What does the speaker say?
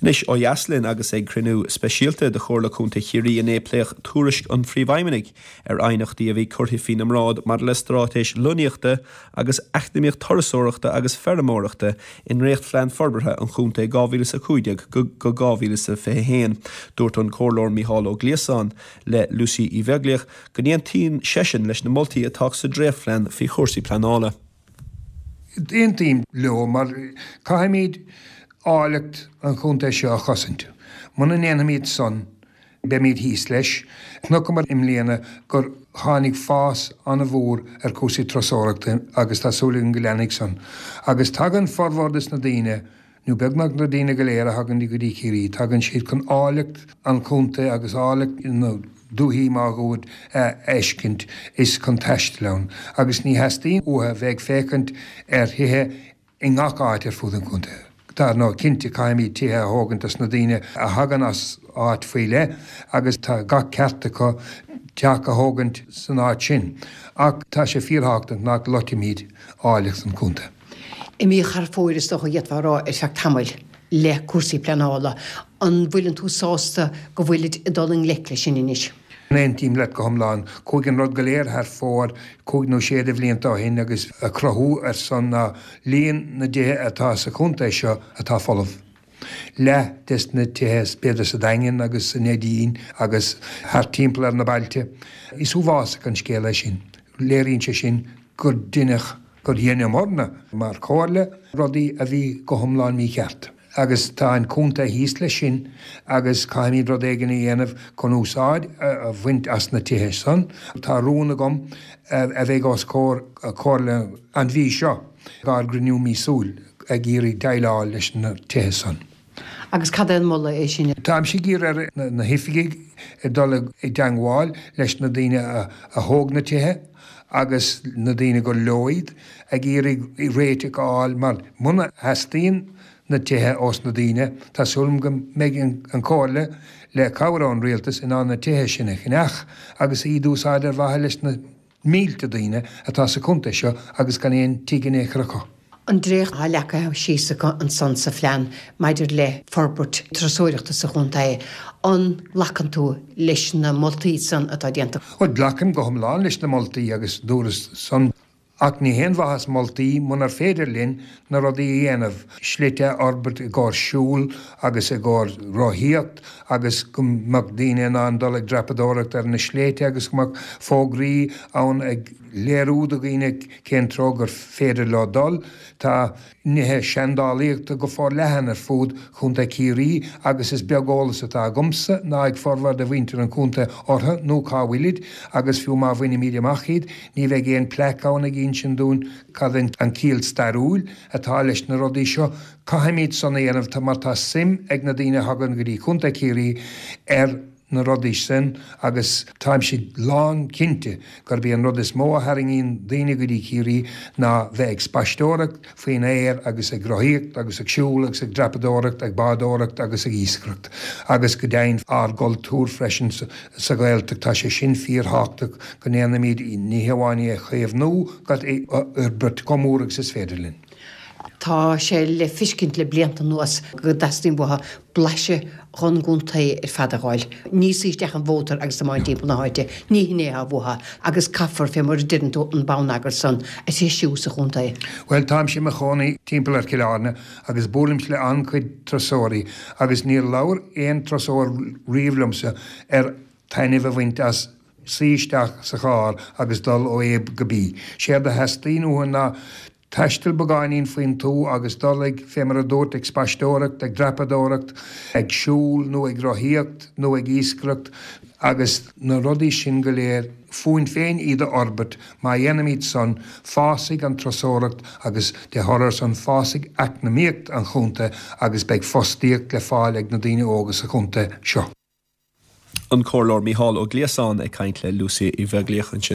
Anois ó dheas linn agus ag cruinniú speisialta de Chomhairle Contae Chiarraí inné pléadh tuairisc an Phríomhfheidhmeannaigh ar aighneachtaí a bhí curtha faoina mbráid maidir le straitéis lonnaíochta agus eacnamaíocht turasóireachta agus feirmeoireachta i ndréachtphlean forbartha an chontae 2015-2021. Dúirt an Comhairleoir Mícheál Ó Gliasáin le Lucy Uí Bheaglaoich go n-aontaíonn seisean leis na moltaí atá sa dréachtphlean faoi chúrsaí pleanála. Aontaím leo mar caithfimid áilleacht an chontae seo a chosaint. Muna ndéanfaimid san, beimid thíos leis. Chonaiceamar i mbliana gur tháinig fás an-mhór ar chúrsaí turasóireachta agus tá súil againn go leanfaidh san. Agus tagann formhór des na daoine, nó beagnach na daoine go léir a thagann go dtí Ciarraí, tagann siad chun áilleacht an chontae agus áilleacht na dúichí máguaird a fheiscint is chun taisteal ann. Agus ní theastaíonn uathu a bheith ag féachaint ar thithe i ngach áit ar fud an chontae. Dar ndóigh, cinnte, caithfimid tithe a thógaint dos na daoine a thagann as áit faoi leith agus tá gach ceart acu teach a thógaint san áit sin. Ach tá sé fíorthábhachtach nach loitfimid áilleacht an chontae. Imíodh thar fóir, is dócha, d'fhéadfá a rá, ar feadh tamaill le cúrsaí pleanála. An bhfuileann tú sásta go bhfuilid ag dul i ngleic leis sin anois? Aontaím leat go hiomlán. Chuaigh an rud go léir thar fóir cúig nó sé de bhlianta ó shin agus a chruthú ar san ná líon na dtithe atá sa chontae seo atá folamh. Leath des na tithe b'fhéidir sa Daingean agus sa Neidín agus thart timpeall ar na bailte. Is uafásach an scéal é sin. Léiríonn sé sin gur deineadh, gur dheineamarna mar chomhairle rudaí a bhí go hiomlán mícheart. Agus tá an contae thíos leis sin agus caithfimid rud éigin a dhéanamh chun úsáid a bhaint as na tithe san. Tá rún agam a bheidh os comhair comhairle an mhí seo, ár gcruinniú míosúil, ag iarraidh déileáil leis na tithe san. Agus cad é an moladh é sin? Táimse ag iarraidh ar na hoifigigh dul i dteangmháil leis na daoine a thóg na tithe agus na daoine gur leo iad, ag iarraidh réiteach a fháil mar muna theastaíonn na tithe ós na daoine, tá súil agam go mbeidh an Chomhairle, le cabhair ón Rialtas, in ann na tithe sin a cheannach agus iad a úsáid ar mhaithe leis na mílte daoine atá sa chontae seo agus gan aon tigh in aon chor acu. An dréacht atá leagtha síos acu ansan sa phlean maidir le forbairt turasóireachta sa chontae, an nglacann tú leis na moltaí san atá déanta? Bhuel, glacaim go hiomlán leis na moltaí agus dúras san. Ach ní haon mhaitheas moltaí munar féidir linn na rudaí a dhéanamh, slite a fhorbairt i gcomhair siúl agus i gcomhair rothaíocht agus go mbeadh daoine in ann dul ag dreapadóireacht ar na sléibhte agus go mbeadh fógraí ann ag léiriú do dhaoine cén treo gur féidir leo dul. Tá nithe seandálaíochta go forleathan ar fud Chontae Chiarraí agus is beag eolas atá agamsa ná ag formhór de mhuintir an chontae orthu nó cá bhfuilid agus fiú má bhainimid amach iad ní bheidh aon plaic ann ag insint dúinn cad an ciall stairiúil atá leis na rudaí seo. Caithfimid san a dhéanamh mar tá suim ag na daoine a thagann go dtí Contae Chiarraí ar na rudaí sin agus táimse lán cinnte gurb é an rud is mó a tharraingíonn daoine go dtí Ciarraí ná bheith ag spaisteoireacht faoin aer agus ag rothaíocht agus ag siúl agus ag dreapadóireacht, ag bádóireacht agus ag iascaireacht agus go deimhin ár gcultúr freisin sa Ghaeltacht. Tá sé sin fíorthábhachtach go ndéanfaimid ní hamháin é a chaomhnú ach é a fhorbairt chomh mór agus is féidir linn. Tá sé le feiscint le blianta anuas go dteastaíonn uathu blaiseadh dhon gcontae ar fad a dh'fháil. Ní suí isteach an mhótar agus tiomáint timpeall na háite, ní hin é atá uathu agus caithfear, fé mar a deireann tú, an bonneagar san a threisiú sa chontae. Bhuel, táimse i mo chónaí timpeall ar Chill Airne agus buailimse le an-chuid turasóirí agus níor labhair aon turasóir riamh liomsa ar taitneamh a bhaint as suí isteach sa charr agus dul ó A go B. Séard a theastaíonn uathu ná Taisteal beagáinín faoin tuath agus dul ag, fé mar a dúrt, ag spaisteoireacht, ag dreapadóireacht, ag siúl nó ag rothaíocht nó ag iascaireacht agus na rudaí sin go léir, fúinn féin iad a fhorbairt. Má dhéanaimid san, fásfaidh an turasóireacht agus de thoradh ar san, fásfaidh eacnamaíocht an chontae agus beidh fostaíocht le fáil ag na daoine óga sa chontae seo. An Comhairleoir Mícheál Ó Gliasáin ag caint le Lucy Uí Bheaglaoich ansin.